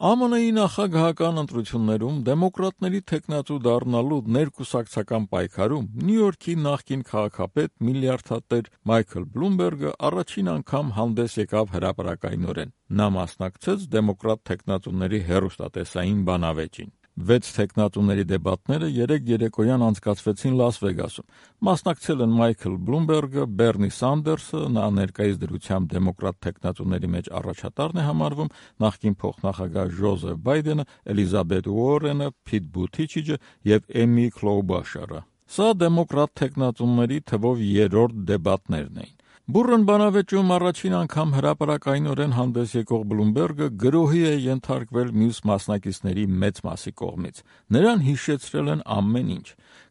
ԱՄՆ-ի նախագահական ընտրություններում դեմոկրատների թեկնածու դառնալու ներկուսակցական պայքարում Նյու Յորքի նախկին քաղաքապետ միլիարդատեր Մայքլ Բլումբերգը առաջին անգամ հանդես եկավ հրապարակայնորեն։ Նա մասնակցեց դեմոկրատ թեկնածուների հեռուստատեսային բանավեճին։ 6 թեկնածուների դեբատները 3 երեկոյան անցկացվեցին Լաս Վեգասում։ Մասնակցել են Մայքլ Բլումբերգը, Բերնի Սանդերսը, նա ներկայիս դրությամբ դեմոկրատ թեկնածուների մեջ առաջատարն է համարվում, նախկին փոխնախագահ Ջոզեֆ Բայդենը, Էլիզաբեթ Ուորենը, Փիտ Բութիջը եւ Էմի Քլոուբաշարը։ Սա դեմոկրատ թեկնածուների թվով 3-րդ դեբատներն էին։ Բուրըն բանավեճում առաջին անգամ հրապարակայնորեն հանդես եկող Բլումբերգը գրոհի է ենթարկվել մյուս մասնակիցների մեծ մասի կողմից։ Նրան հիշեցրել են ամեն ինչ։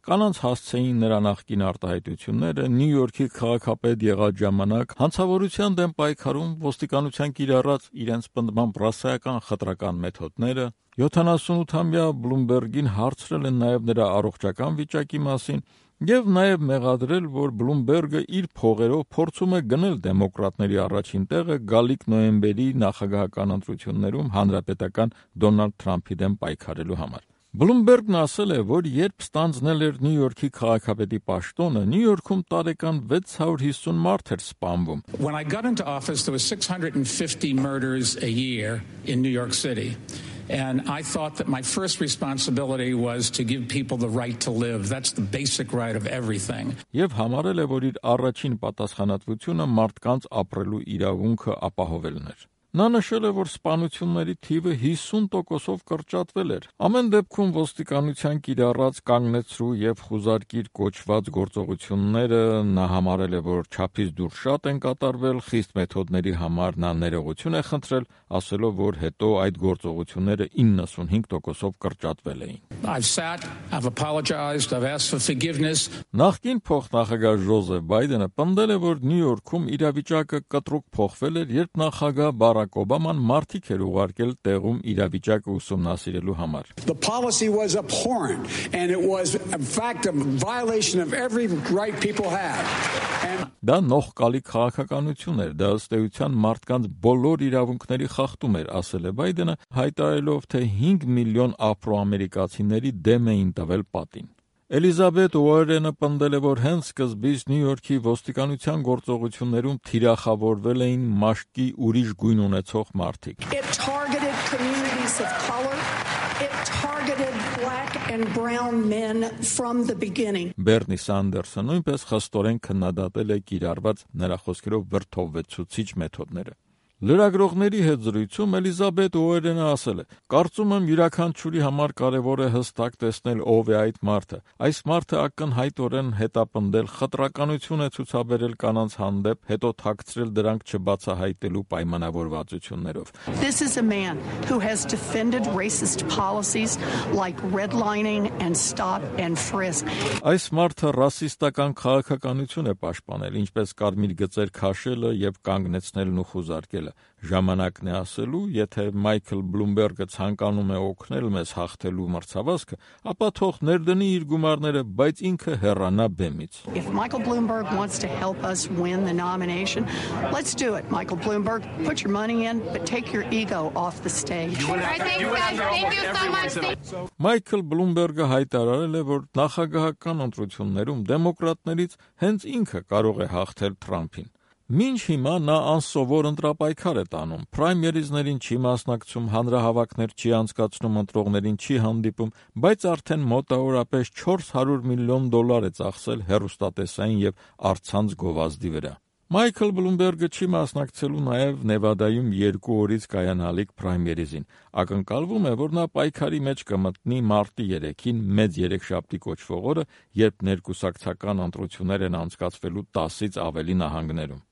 Կանանց հասցեին նրա նախկին արտահայտությունները, Նյու Յորքի քաղաքապետ եղած ժամանակ, հանցավորության դեմ պայքարում ոստիկանության կիրառած իրենց պնդմամբ ռասայական խտրական մեթոդները։ 78-ամյա Բլումբերգին հարցրել են նաև նրա առողջական վիճակի մասին եւ նաև մեղադրել, որ Բլումբերգը իր փողերով փորձում է գնել դեմոկրատների առաջին տեղը գալիք նոյեմբերի նախագահական ընտրություններում հանրապետական Դոնալդ Թրամփի դեմ պայքարելու համար։ Բլումբերգն ասել է, որ երբ ստանձնել էր Նյու Յորքի քաղաքապետի պաշտոնը, Նյու Յորքում տարեկան 650 մարդ էր սպանվում։ When I got into office, there was 650 murders a year in New York City. And I thought that my first responsibility was to give people the right to live. That's the basic right of everything. Եվ համարել է, որ իր առաջին պատասխանատվությունը մարդկանց ապրելու իրավունքը ապահովելն էր։ Նա նշել է, որ սպանությունների թիվը 50%-ով կրճատվել էր։ Ամեն դեպքում ոստիկանության կիրառած կանգնեցրու եւ խուզարկիր կոչված գործողությունները նա համարել է, որ չափից դուրս շատ են կատարվել, խիստ մեթոդների համար նա ներողություն է խնդրել, ասելով, որ հետո այդ գործողությունները 95%-ով կրճատվել էին։ I've apologized, I've asked for forgiveness. Նախկին փոխնախագահ Ջոզեֆ Բայդենը պնդել է, որ Նյու Յորքում իրավիճակը կտրուկ փոխվել էր, երբ նախագահ Բարակ Օբաման մարդիկ էր ուղարկել տեղում իրավիճակը ուսումնասիրելու համար։ The policy was abhorrent and it was in fact a violation of every right people have. Դա նողկալի քաղաքականություն էր, դա ըստ էության մարդկանց բոլոր իրավունքների խախտում էր, ասել է Բայդենը, հայտարարելով, թե 5 միլիոն աֆրոամերիկացիների դեմ էին տվել պատին։ Էլիզաբեթ Ուորենը պնդել է, որ հենց սկզբից Նյու Յորքի ոստիկանության գործողություններում թիրախավորվել էին մաշկի ուրիշ գույն ունեցող մարդիկ։ It targeted communities of color. It targeted black and brown men from the beginning. Բերնի Սանդերսը նույնպես խստորեն քննադատել է կիրառված նրա խոսքերով վրդովվեցուցիչ մեթոդները։ Լրագրողների հետ զրույցում Էլիզաբեթ Ուորենը ասել է. «Կարծում եմ յուրաքանչյուրի համար կարևոր է հստակ տեսնել ով է այդ մարդը։ Այս մարդը ակնհայտորեն հետապնդել խտրականություն է ցուցաբերել կանանց հանդեպ, հետո թաքցրել դրանք չբացահայտելու պայմանավորվածություններով»։ This is a man who has defended racist policies like redlining and stop and frisk. Այս մարդը ռասիստական քաղաքականություն է պաշտպանել, ինչպես կարմիր գծեր քաշելը եւ կանգնեցնելն ու խուզարկելը։ Ժամանակն է ասելու, եթե Մայքլ Բլումբերգը ցանկանում է օգնել մեզ հաղթելու մրցավազքը, ապա թող ներդնի իր գումարները, բայց ինքը հեռանա բեմից։ If Michael Bloomberg wants to help us win the nomination, let's do it. Michael Bloomberg, put your money in, but take your ego off the stage. Thank you so much. Մայքլ Բլումբերգը հայտարարել է, որ նախագահական ընտրություններում դեմոկրատներից հենց ինքը կարող է հաղթել Թրամփին։ Մինչ հիմա նա անսովոր ընտրապայքար է տանում, պրայմերիզներին չի մասնակցում, հանրահավաքներ չի անցկացնում, ընտրողներին չի հանդիպում, բայց արդեն մոտավորապես $400 միլիոն է ծախսել հեռուստատեսային եւ առցանց գովազդի վրա։ Մայքլ Բլումբերգը չի մասնակցելու նաև Նևադայում 2 օրից կայանալիք պրայմերիզին։ Ակնկալվում է, որ նա պայքարի մեջ կմտնի մարտի 3-ին մեծ երեքշաբթի կոչվող օրը, երբ ներկուսակցական ընտրություններ են անցկացվելու 10-ից ավելի նահանգներում։